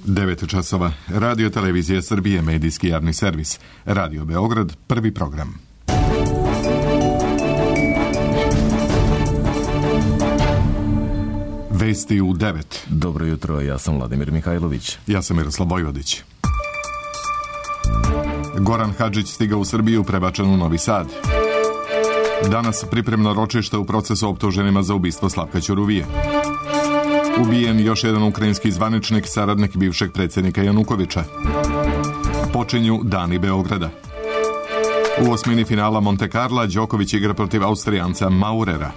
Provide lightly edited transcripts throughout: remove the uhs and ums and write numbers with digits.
9 časova. Radio Televizija Srbije, medijski javni servis. Radio Beograd, prvi program. Vesti u 9. Dobro jutro, ja sam Vladimir Mihajlović. Ja sam Miroslav Vojvodić. Goran Hadžić stigao u Srbiju, prebačen u Novi Sad. Danas pripremno ročište u procesu optuženima za ubistvo Slavka Ćuruvije. Ubijen još jedan ukrajinski zvaničnik, saradnik bivšeg predsjednika Janukovića. Počinju dani Beograda. U osmini finala Monte Carla Đoković igra protiv Austrijanca Maurera.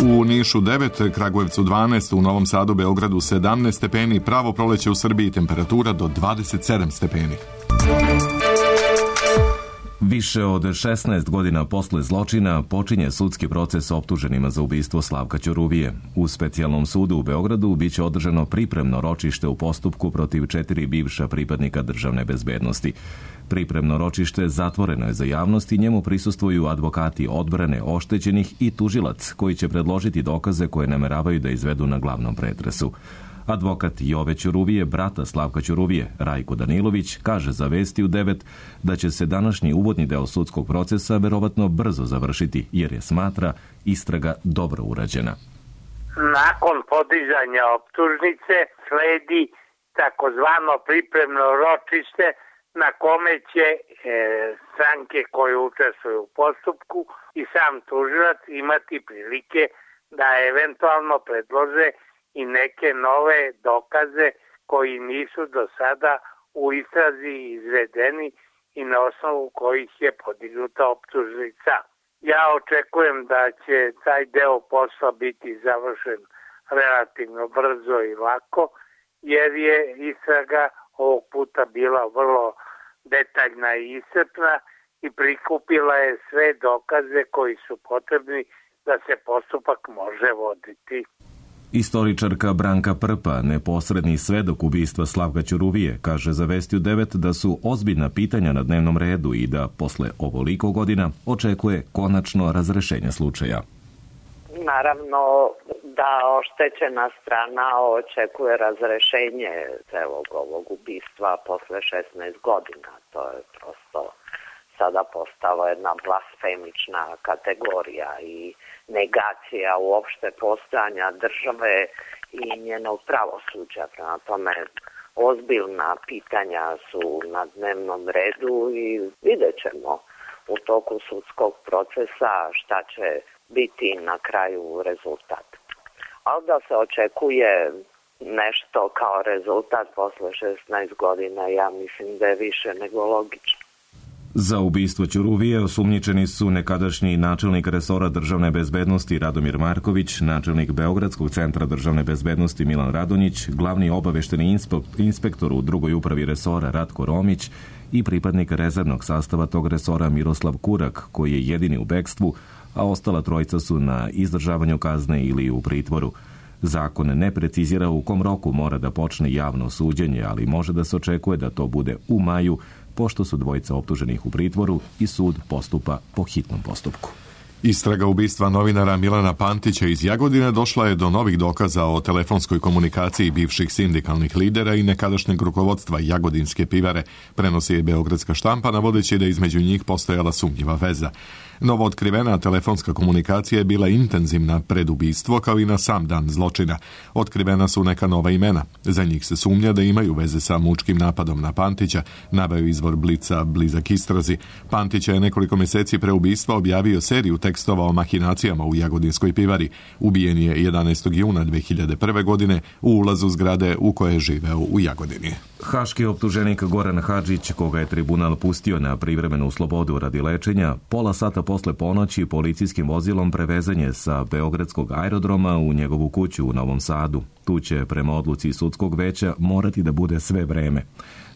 U Nišu 9, Kragujevcu 12, u Novom Sadu, Beogradu 17 stepeni, pravo proleće u Srbiji, temperatura do 27 stepeni. Više od 16 godina posle zločina počinje sudski proces optuženima za ubistvo Slavka Ćuruvije. U specijalnom sudu u Beogradu biće održano pripremno ročište u postupku protiv 4 bivša pripadnika državne bezbednosti. Pripremno ročište zatvoreno je za javnost i njemu prisustvuju advokati odbrane oštećenih i tužilac koji će predložiti dokaze koje nameravaju da izvedu na glavnom pretresu. Advokat Jove Ćuruvije, brata Slavka Ćuruvije, Rajko Danilović, kaže za Vesti u 9 da će se današnji uvodni deo sudskog procesa verovatno brzo završiti, jer je smatra istraga dobro urađena. Nakon podizanja optužnice sledi takozvano pripremno ročište na kome će stranke koje učestvuju u postupku i sam tužilac imati prilike da eventualno predlože i neke nove dokaze koji nisu do sada u istrazi izvedeni i na osnovu kojih je podignuta optužnica. Ja očekujem da će taj deo posla biti završen relativno brzo i lako, jer je istraga ovog puta bila vrlo detaljna i iscrpna i prikupila je sve dokaze koji su potrebni da se postupak može voditi. Istoričarka Branka Prpa, neposredni svedok ubistva Slavka Ćuruvije, kaže za Vesti u 9 da su ozbiljna pitanja na dnevnom redu i da posle ovoliko godina očekuje konačno razrešenje slučaja. Naravno da oštećena strana očekuje razrešenje celog ovog ubistva posle 16 godina. To je prosto sada postala jedna blasfemična kategorija i negacija uopšte postojanja države i njenog pravosuđa. Prema tome, ozbiljna pitanja su na dnevnom redu i vidjet ćemo u toku sudskog procesa šta će biti na kraju rezultat. Ali da se očekuje nešto kao rezultat posle 16 godina, ja mislim da je više nego logično. Za ubistvo Ćuruvije osumnjičeni su nekadašnji načelnik resora državne bezbednosti Radomir Marković, načelnik Beogradskog centra državne bezbednosti Milan Radonjić, glavni obavešteni inspektor u drugoj upravi resora Ratko Romić i pripadnik rezervnog sastava tog resora Miroslav Kurak, koji je jedini u bekstvu, a ostala trojica su na izdržavanju kazne ili u pritvoru. Zakon ne precizira u kom roku mora da počne javno suđenje, ali može da se očekuje da to bude u maju, pošto su dvojica optuženih u pritvoru i sud postupa po hitnom postupku. Istraga ubistva novinara Milana Pantića iz Jagodine došla je do novih dokaza o telefonskoj komunikaciji bivših sindikalnih lidera i nekadašnjeg rukovodstva Jagodinske pivare, prenosi je beogradska štampa, navodeći da između njih postojala sumnjiva veza. Novo otkrivena telefonska komunikacija je bila intenzivna pred ubistvo, kao i na sam dan zločina. Otkrivena su neka nova imena. Za njih se sumnja da imaju veze sa mučkim napadom na Pantića, naveo izvor Blica blizak istrazi. Pantića je nekoliko mjeseci pre ubistva objavio seriju tekstova o mahinacijama u Jagodinskoj pivari. Ubijen je 11. juna 2001. godine u ulazu zgrade u kojoj je živeo u Jagodini. Haški optuženik Goran Hadžić, koga je tribunal pustio na privremenu slobodu radi lečenja, pola sata posle ponoći policijskim vozilom prevezen je sa beogradskog aerodroma u njegovu kuću u Novom Sadu. Tu će, prema odluci sudskog veća, morati da bude sve vreme.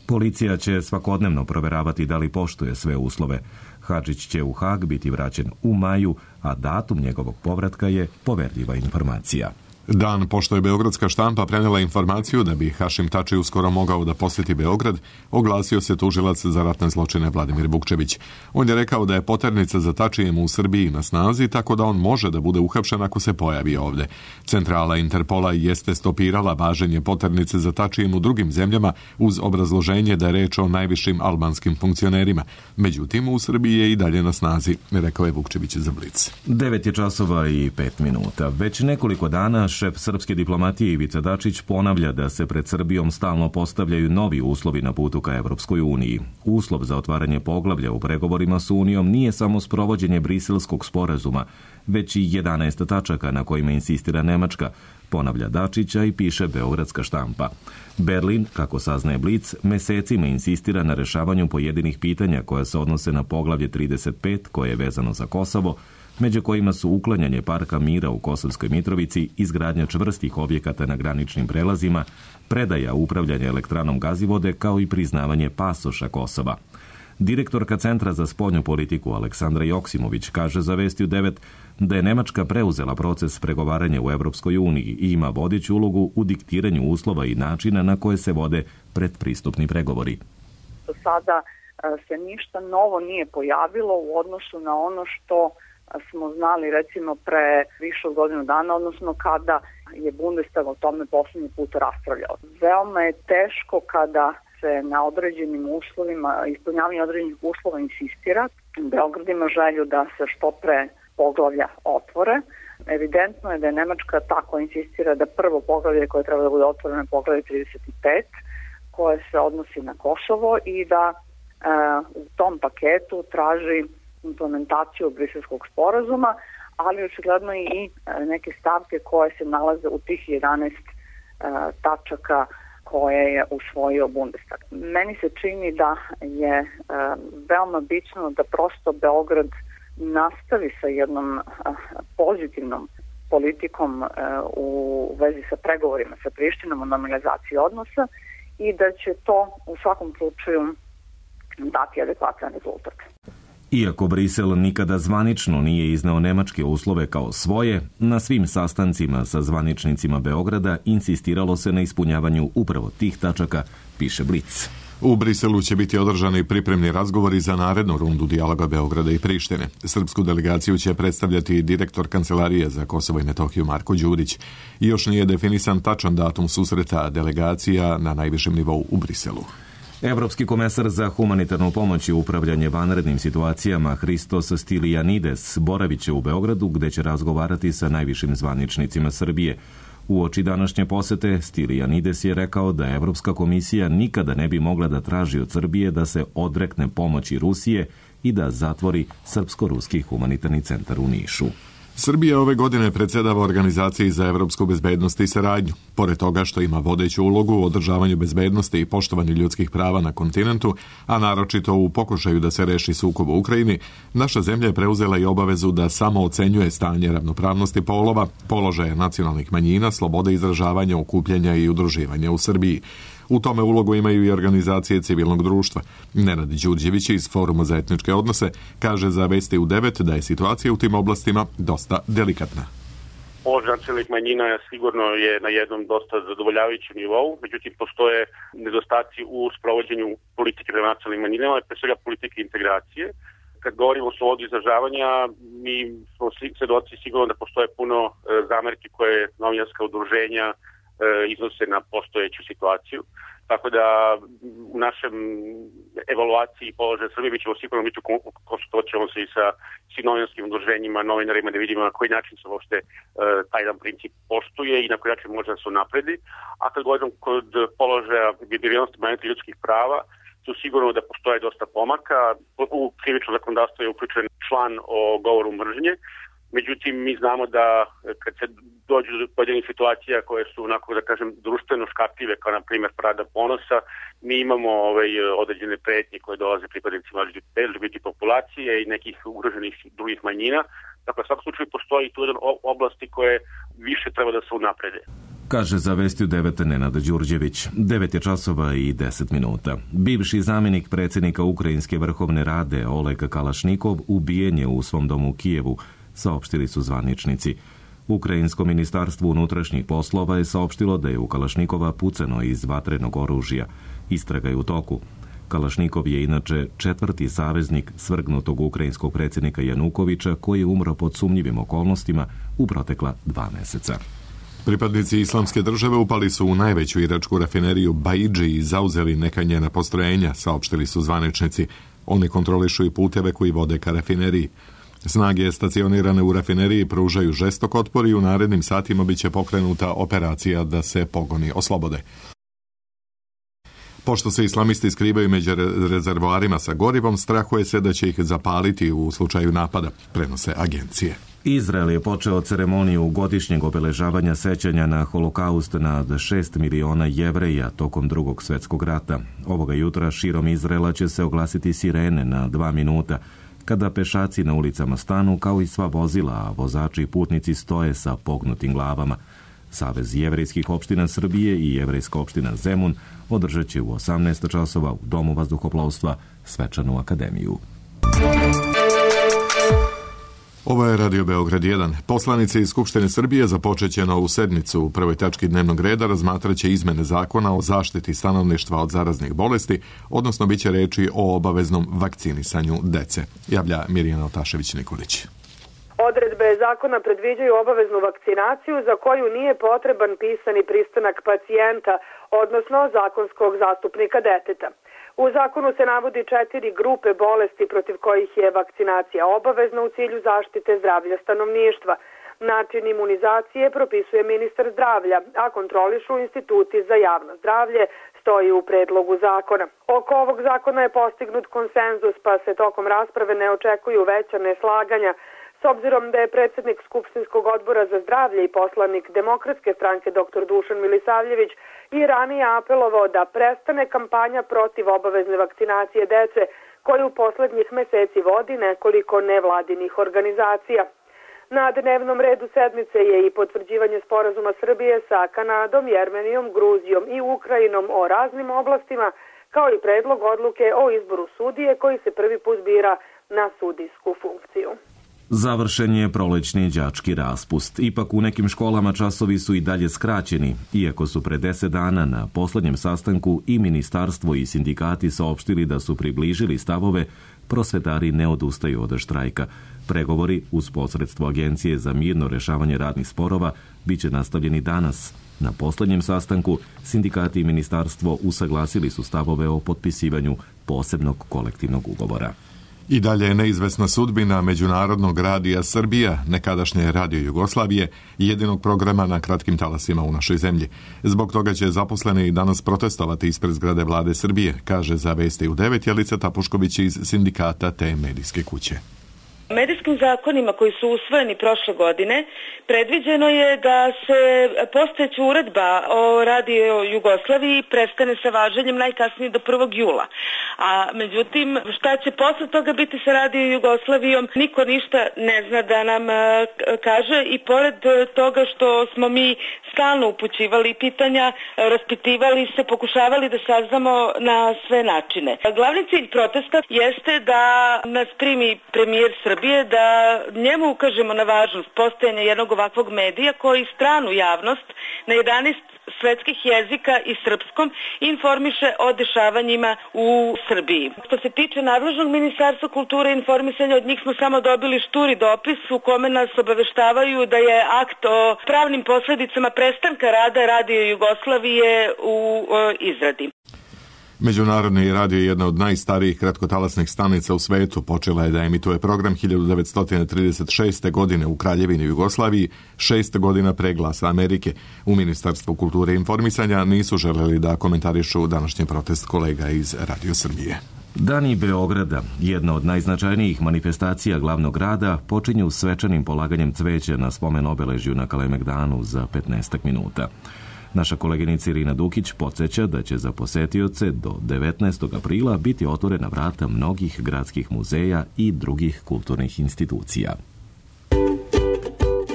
Policija će svakodnevno proveravati da li poštuje sve uslove. Hadžić će u Hag biti vraćen u maju, a datum njegovog povratka je poverljiva informacija. Dan pošto je beogradska štampa prenela informaciju da bi Hašim Tači uskoro mogao da posjeti Beograd, oglasio se tužilac za ratne zločine Vladimir Vukčević. On je rekao da je poternica za Tačijem u Srbiji na snazi, tako da on može da bude uhapšen ako se pojavi ovde. Centrala Interpola jeste stopirala važenje poternice za Tačijem u drugim zemljama uz obrazloženje da je reč o najvišim albanskim funkcionerima. Međutim, u Srbiji je i dalje na snazi, rekao je Vukčević za Blic. 9:05. Već nekoliko dana šef srpske diplomatije Ivica Dačić ponavlja da se pred Srbijom stalno postavljaju novi uslovi na putu ka Evropskoj uniji. Uslov za otvaranje poglavlja u pregovorima s Unijom nije samo sprovođenje Briselskog sporazuma, već i 11 tačaka na kojima insistira Nemačka, ponavlja Dačića i piše beogradska štampa. Berlin, kako saznaje Blic, mesecima insistira na rešavanju pojedinih pitanja koja se odnose na poglavlje 35, koje je vezano za Kosovo, među kojima su uklanjanje parka mira u Kosovskoj Mitrovici, izgradnja čvrstih objekata na graničnim prelazima, predaja upravljanja elektranom Gazivode, kao i priznavanje pasoša Kosova. Direktorka Centra za spoljnu politiku Aleksandra Joksimović kaže za Vesti u 9 da je Nemačka preuzela proces pregovaranja u Evropskoj uniji i ima vodeću ulogu u diktiranju uslova i načina na koje se vode predpristupni pregovori. Do sada se ništa novo nije pojavilo u odnosu na ono što smo znali recimo pre više od godinu dana, odnosno kada je Bundestag o tome poslednji put raspravljao. Veoma je teško kada se na određenim uslovima, ispunjavanje određenih uslova insistira. Beograd ima želju da se što pre poglavlja otvore. Evidentno je da je Nemačka tako insistira da prvo poglavlje koje treba da bude otvoreno je poglavlje 35, koje se odnosi na Kosovo i da u tom paketu traži implementaciju Briselskog sporazuma, ali očigledno i neke stavke koje se nalaze u tih 11 tačaka koje je usvojio Bundestag. Meni se čini da je veoma bitno da prosto Beograd nastavi sa jednom pozitivnom politikom u vezi sa pregovorima sa Prištinom o normalizaciji odnosa i da će to u svakom slučaju dati adekvatan rezultat. Iako Brisel nikada zvanično nije izneo nemačke uslove kao svoje, na svim sastancima sa zvaničnicima Beograda insistiralo se na ispunjavanju upravo tih tačaka, piše Blic. U Briselu će biti održani pripremni razgovori za narednu rundu dijaloga Beograda i Prištine. Srpsku delegaciju će predstavljati direktor Kancelarije za Kosovo i Metohiju Marko Đurić. I još nije definisan tačan datum susreta delegacija na najvišem nivou u Briselu. Evropski komesar za humanitarnu pomoć i upravljanje vanrednim situacijama Hristos Stylianides boravit će u Beogradu gde će razgovarati sa najvišim zvaničnicima Srbije. Uoči današnje posete Stylianides je rekao da Evropska komisija nikada ne bi mogla da traži od Srbije da se odrekne pomoći Rusije i da zatvori Srpsko-ruski humanitarni centar u Nišu. Srbija ove godine predsjedava Organizaciji za evropsku bezbednost i saradnju. Pored toga što ima vodeću ulogu u održavanju bezbednosti i poštovanju ljudskih prava na kontinentu, a naročito u pokušaju da se reši sukob u Ukrajini, naša zemlja je preuzela i obavezu da samo ocenjuje stanje ravnopravnosti polova, položaja nacionalnih manjina, slobode izražavanja, okupljanja i udruživanja u Srbiji. U tome ulogu imaju i organizacije civilnog društva. Nenad Đurđević iz Foruma za etničke odnose kaže za Vesti u 9 da je situacija u tim oblastima dosta delikatna. Položaj nacionalnih manjina sigurno je na jednom dosta zadovoljavajućem nivou, međutim postoje nedostaci u sprovođenju politike prema nacionalnim manjinama, pre svega politike integracije. Kad govorimo o slobodu izražavanja, mi smo svedoci sigurno da postoje puno zamerki koje novinarska udruženja iznose na postojeću situaciju. Tako da u našem evaluaciji položaja Srbije mi ćemo sigurno biti konsultovat ćemo se i sa svim novinarskim udruženjima, novinarima da vidimo na koji način se uopšte taj jedan princip poštuje i na koji način može da se unapredi. A kad govorim kod položaja biblijalnosti manjina ljudskih prava, tu sigurno da postoje dosta pomaka. U krivično zakonodavstvo je uključen član o govoru mržnje. Međutim, mi znamo da kad se dođu do pojedinih situacija koje su onako, da kažem, društveno škakljive, kao na primjer Parada ponosa, mi imamo određene pretnje koje dolaze pripadnicima LGBT populacije i nekih ugroženih drugih manjina. Dakle, u svakom slučaju postoji tu jedan oblasti koje više treba da se unaprede. Kaže za Vesti u 9 Nenad Đurđević. 9:10. Bivši zamjenik predsjednika Ukrajinske vrhovne rade Oleg Kalašnikov ubijen je u svom domu u Kijevu, saopštili su zvaničnici. Ukrajinsko ministarstvo unutrašnjih poslova je saopštilo da je u Kalašnikova pucano iz vatrenog oružja. Istraga je u toku. Kalašnikov je inače 4. saveznik svrgnutog ukrajinskog predsjednika Janukovića, koji je umro pod sumnjivim okolnostima u protekla 2 meseca. Pripadnici Islamske države upali su u najveću iračku rafineriju Baidži i zauzeli neka njena postrojenja, saopštili su zvaničnici. Oni kontrolišu i puteve koji vode ka rafineriji. Snage stacionirane u rafineriji pružaju žestok otpor i u narednim satima biće pokrenuta operacija da se pogoni oslobode. Pošto se islamisti skrivaju među rezervoarima sa gorivom, strahuje se da će ih zapaliti u slučaju napada, prenose agencije. Izrael je počeo ceremoniju godišnjeg obeležavanja sećanja na holokaust nad 6 miliona Jevreja tokom Drugog svjetskog rata. Ovoga jutra širom Izraela će se oglasiti sirene na 2 minuta, kada pešaci na ulicama stanu kao i sva vozila, a vozači i putnici stoje sa pognutim glavama. Savez jevrejskih opština Srbije i jevrejska opština Zemun održat će u 18 časova u Domu vazduhoplovstva svečanu akademiju. Ovo je Radio Beograd 1. Poslanici iz Skupštine Srbije započeće novu sednicu. U prvoj tački dnevnog reda razmatraće izmene zakona o zaštiti stanovništva od zaraznih bolesti, odnosno biće reči o obaveznom vakcinisanju dece. Javlja Mirjana Otašević-Nikolić. Odredbe zakona predviđaju obaveznu vakcinaciju za koju nije potreban pisani pristanak pacijenta, odnosno zakonskog zastupnika deteta. U zakonu se navodi 4 grupe bolesti protiv kojih je vakcinacija obavezna u cilju zaštite zdravlja stanovništva. Način imunizacije propisuje ministar zdravlja, a kontrolišu instituti za javno zdravlje, stoji u predlogu zakona. Oko ovog zakona je postignut konsenzus, pa se tokom rasprave ne očekuju veća neslaganja. S obzirom da je predsjednik Skupštinskog odbora za zdravlje i poslanik Demokratske stranke dr. Dušan Milisavljević i ranije apelovao da prestane kampanja protiv obavezne vakcinacije dece koju poslednjih meseci vodi nekoliko nevladinih organizacija. Na dnevnom redu sedmice je i potvrđivanje sporazuma Srbije sa Kanadom, Jermenijom, Gruzijom i Ukrajinom o raznim oblastima, kao i predlog odluke o izboru sudije koji se prvi put bira na sudijsku funkciju. Završen je prolećni đački raspust. Ipak u nekim školama časovi su i dalje skraćeni, iako su pre 10 dana na poslednjem sastanku i ministarstvo i sindikati saopštili da su približili stavove, prosvetari ne odustaju od štrajka. Pregovori uz posredstvo Agencije za mirno rešavanje radnih sporova biće nastavljeni danas. Na poslednjem sastanku sindikati i ministarstvo usaglasili su stavove o potpisivanju posebnog kolektivnog ugovora. I dalje je neizvesna sudbina Međunarodnog radija Srbija, nekadašnje Radio Jugoslavije, jedinog programa na kratkim talasima u našoj zemlji. Zbog toga će zaposleni i danas protestovati ispred zgrade vlade Srbije, kaže za Vesti u 9 Jelica Tapušković iz sindikata te medijske kuće. Medijskim zakonima koji su usvojeni prošle godine predviđeno je da se postojeća uredba o Radio Jugoslaviji prestane sa važenjem najkasnije do 1. jula. A međutim, šta će posle toga biti sa Radio Jugoslavijom, niko ništa ne zna da nam kaže i pored toga što smo mi stalno upućivali pitanja, raspitivali se, pokušavali da saznamo na sve načine. Glavni cilj protesta jeste da nas primi premijer Srbije, da njemu ukažemo na važnost postojanja jednog ovakvog medija koji stranu javnost na 11 svetskih jezika i srpskom informiše o dešavanjima u Srbiji. Što se tiče nadležnog Ministarstva kulture i informisanja, od njih smo samo dobili šturi dopis u kome nas obaveštavaju da je akt o pravnim posledicama prestanka rada Radio Jugoslavije u izradi. Međunarodni radio je jedna od najstarijih kratkotalasnih stanica u svetu. Počela je da emituje program 1936. godine u Kraljevini Jugoslaviji, 6 godina pre Glasa Amerike. U Ministarstvu kulture i informisanja nisu želeli da komentarišu današnji protest kolega iz Radio Srbije. Dani Beograda, jedna od najznačajnijih manifestacija glavnog grada, počinju svečanim polaganjem cveća na spomen obeležju na Kalemegdanu za 15 minuta. Naša koleginica Irina Dukić podsjeća da će za posetioce do 19. aprila biti otvorena vrata mnogih gradskih muzeja i drugih kulturnih institucija.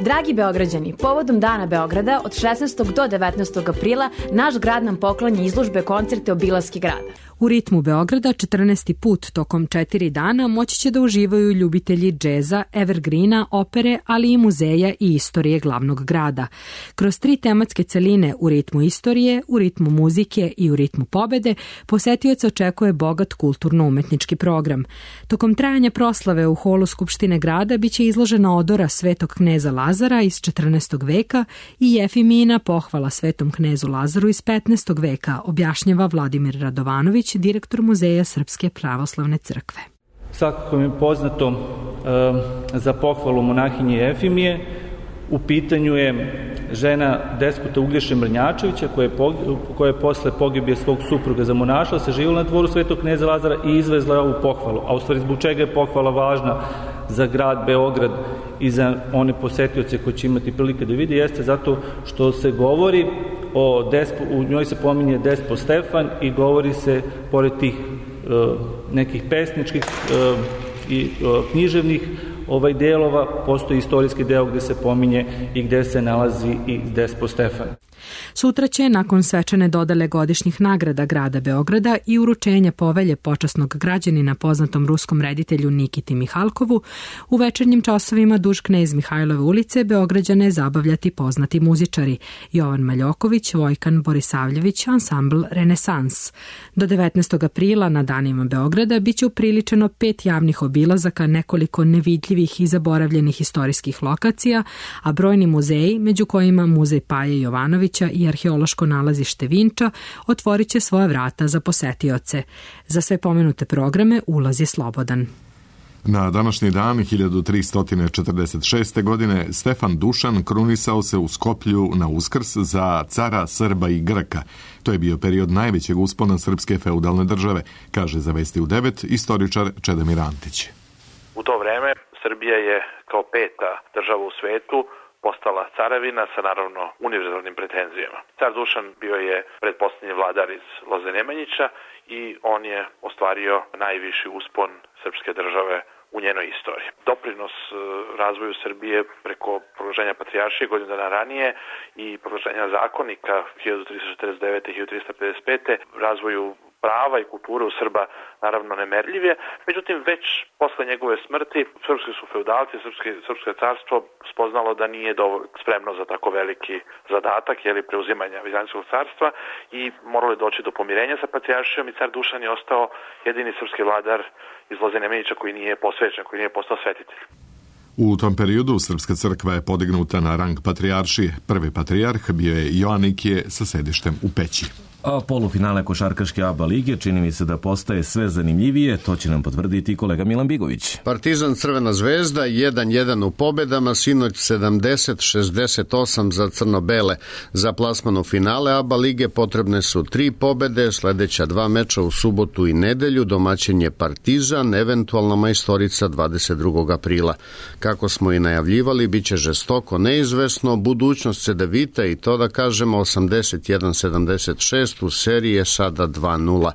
Dragi Beograđani, povodom Dana Beograda od 16. do 19. aprila naš grad nam poklanja izložbe koncerte obilaske grada. U ritmu Beograda 14. put tokom 4 dana moći će da uživaju ljubitelji džeza, evergreena, opere, ali i muzeja i istorije glavnog grada. Kroz 3 tematske celine u ritmu istorije, u ritmu muzike i u ritmu pobede, posetioca očekuje bogat kulturno-umetnički program. Tokom trajanja proslave u holu Skupštine grada biće izložena odora Svetog kneza Lazara iz 14. veka i Jefimina pohvala Svetom knezu Lazaru iz 15. veka, objašnjava Vladimir Radovanović, direktor Muzeja Srpske pravoslavne crkve. Svakako mi je poznato za pohvalu monahinje Jefimije. U pitanju je žena despota Uglješe Mrnjačevića, koja je posle pogibije svog supruga zamonašila, se živjela na dvoru Svetog kneza Lazara i izvezla je ovu pohvalu. A u stvari zbog čega je pohvala važna za grad Beograd i za one posetioce koji će imati prilike da vidi, jeste zato što se govori u njoj se pominje Despo Stefan i govori se, pored tih nekih pesničkih i književnih delova, postoji istorijski deo gde se pominje i gde se nalazi i Despo Stefan. Sutra će, nakon svečane dodele godišnjih nagrada grada Beograda i uručenja povelje počasnog građanina poznatom ruskom reditelju Nikiti Mihalkovu, u večernjim časovima duž Knez Mihajlove ulice Beograđane zabavljati poznati muzičari Jovan Maljoković, Vojkan Borisavljević, ansambl Renesans. Do 19. aprila na danima Beograda biće upriličeno 5 javnih obilazaka nekoliko nevidljivih i zaboravljenih istorijskih lokacija, a brojni muzeji, među kojima Muzej Paje Jovanovića i arheološko nalazište Vinča, otvorit će svoja vrata za posetioce. Za sve pomenute programe ulaz je slobodan. Na današnji dan 1346. godine Stefan Dušan krunisao se u Skoplju na Uskrs za cara Srba i Grka. To je bio period najvećeg uspona srpske feudalne države, kaže za Vesti u 9 istoričar Čedomir Antić. U to vreme Srbija je kao 5. država u svetu postala caravina sa naravno univerzalnim pretenzijama. Car Dušan bio je pretposlednji vladar iz Loze Nemanjića i on je ostvario najviši uspon srpske države u njenoj istoriji. Doprinos razvoju Srbije preko proglašenja patrijaršije godinu dana ranije i proglašenja zakonika 1349. i 1355. razvoju prava i kulture u Srba naravno nemerljiv je, međutim već posle njegove smrti srpski su feudalci, srpsko carstvo spoznalo da nije spremno za tako veliki zadatak, preuzimanja Vizantijskog carstva i moralo je doći do pomirenja sa patrijaršijom i car Dušan je ostao jedini srpski vladar iz Loze Nemanjića koji nije posvećen, koji nije postao svetitelj. U tom periodu Srpska crkva je podignuta na rang patrijaršije. Prvi patrijarh bio je Joanikije sa sedištem u Peći. A polufinale košarkaške ABA lige čini mi se da postaje sve zanimljivije, to će nam potvrditi kolega Milan Bigović. Partizan Crvena zvezda 1-1 u pobedama, sinoć 70-68 za crno-bele. Za plasman u finale ABA lige potrebne su 3 pobede, sledeća 2 meča u subotu i nedelju, domaćin je Partizan, eventualna majstorica 22. aprila. Kako smo i najavljivali, bit će žestoko neizvesno, budućnost Cedevita i to da kažemo 81-76, u seriji je sada 2-0.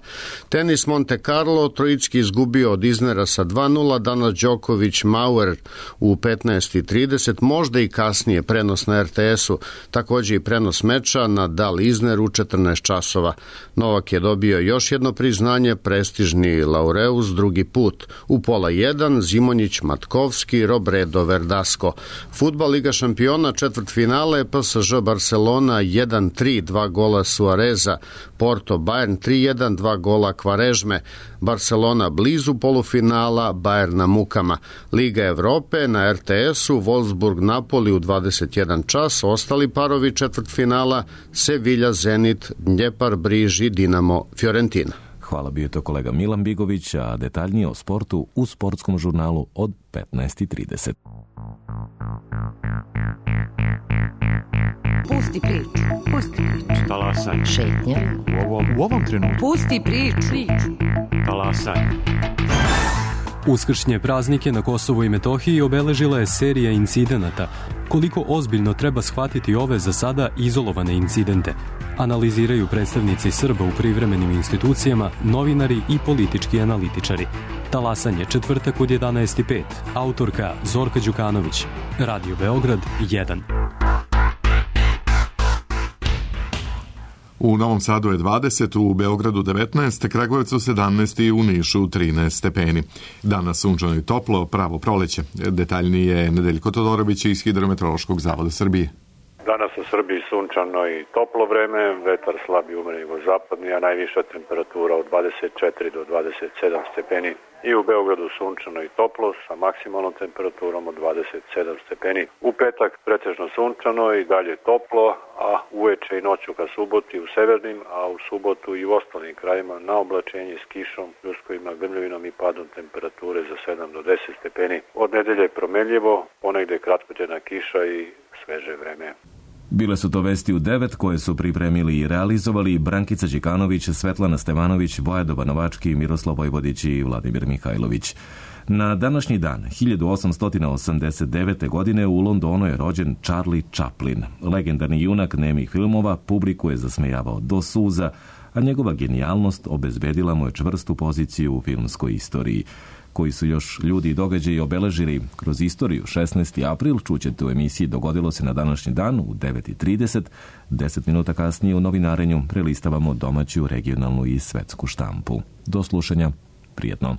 Tenis Monte Carlo, Trojicki izgubio od Iznera sa 2-0, danas Đoković Mauer u 15:30, možda i kasnije prenos na RTS-u, takođe i prenos meča Nadal Izner u 14 časova. Novak je dobio još jedno priznanje, prestižni laureus drugi put. U pola 1 Zimonjić Matkovski, Robredo Verdasco. Fudbal Liga šampiona, četvrtfinale, PSG Barcelona 1-3, 2 gola Suareza. Porto Bayern 3-1, 2 gola Kvarežme. Barcelona blizu polufinala, Bayern na mukama. Liga Evrope na RTS-u, Wolfsburg Napoli u 21 čas, ostali parovi četvrtfinala, Sevilla Zenit, Dnjepar Briži, Dinamo Fiorentina. Hvala, bio je to kolega Milan Bigović, a detaljnije o sportu u sportskom žurnalu od 15:30. Pusti priču. Pusti priču. Talasaj. Šetnja. U ovom trenutku. Pusti priču. Talasaj. Uskršnje praznike na Kosovu i Metohiji obeležila je serija incidenata. Koliko ozbiljno treba shvatiti ove za sada izolovane incidente? Analiziraju predstavnici Srba u privremenim institucijama, novinari i politički analitičari. Talasanje, četvrtak od 11:05. Autorka Zorka Đukanović. Radio Beograd 1. U Novom Sadu je 20, u Beogradu 19, Kragujevcu 17 i u Nišu 13 stepeni. Danas sunčano i toplo, pravo proleće. Detaljnije Nedeljko Todorović iz Hidrometeorološkog zavoda Srbije. Danas u Srbiji sunčano i toplo vreme, vetar slab i umeren jugozapadni, a najviša temperatura od 24 do 27 stepeni. I u Beogradu sunčano i toplo sa maksimalnom temperaturom od 27 stepeni. U petak pretežno sunčano i dalje toplo, a uveče i noću ka suboti u severnim, a u subotu i u ostalim krajima na oblačenje s kišom, pljuskovima, grmljavinom i padom temperature za 7 do 10 stepeni. Od nedelje promenljivo, ponegde kratkotrajna kiša i sveže vreme. Bile su to vesti u 9 koje su pripremili i realizovali Brankica Đikanović, Svetlana Stevanović, Bojadoba Novački, Miroslav Vojvodić i Vladimir Mihajlović. Na današnji dan, 1889. godine u Londonu je rođen Charlie Chaplin. Legendarni junak nemih filmova publiku je zasmejavao do suza, a njegova genijalnost obezbedila mu je čvrstu poziciju u filmskoj istoriji. Koji su još ljudi i događaji obeležili kroz istoriju. 16. april čućete u emisiji Dogodilo se na današnji dan u 9:30. 10 minuta kasnije u novinarenju prelistavamo domaću, regionalnu i svetsku štampu. Do slušanja. Prijetno.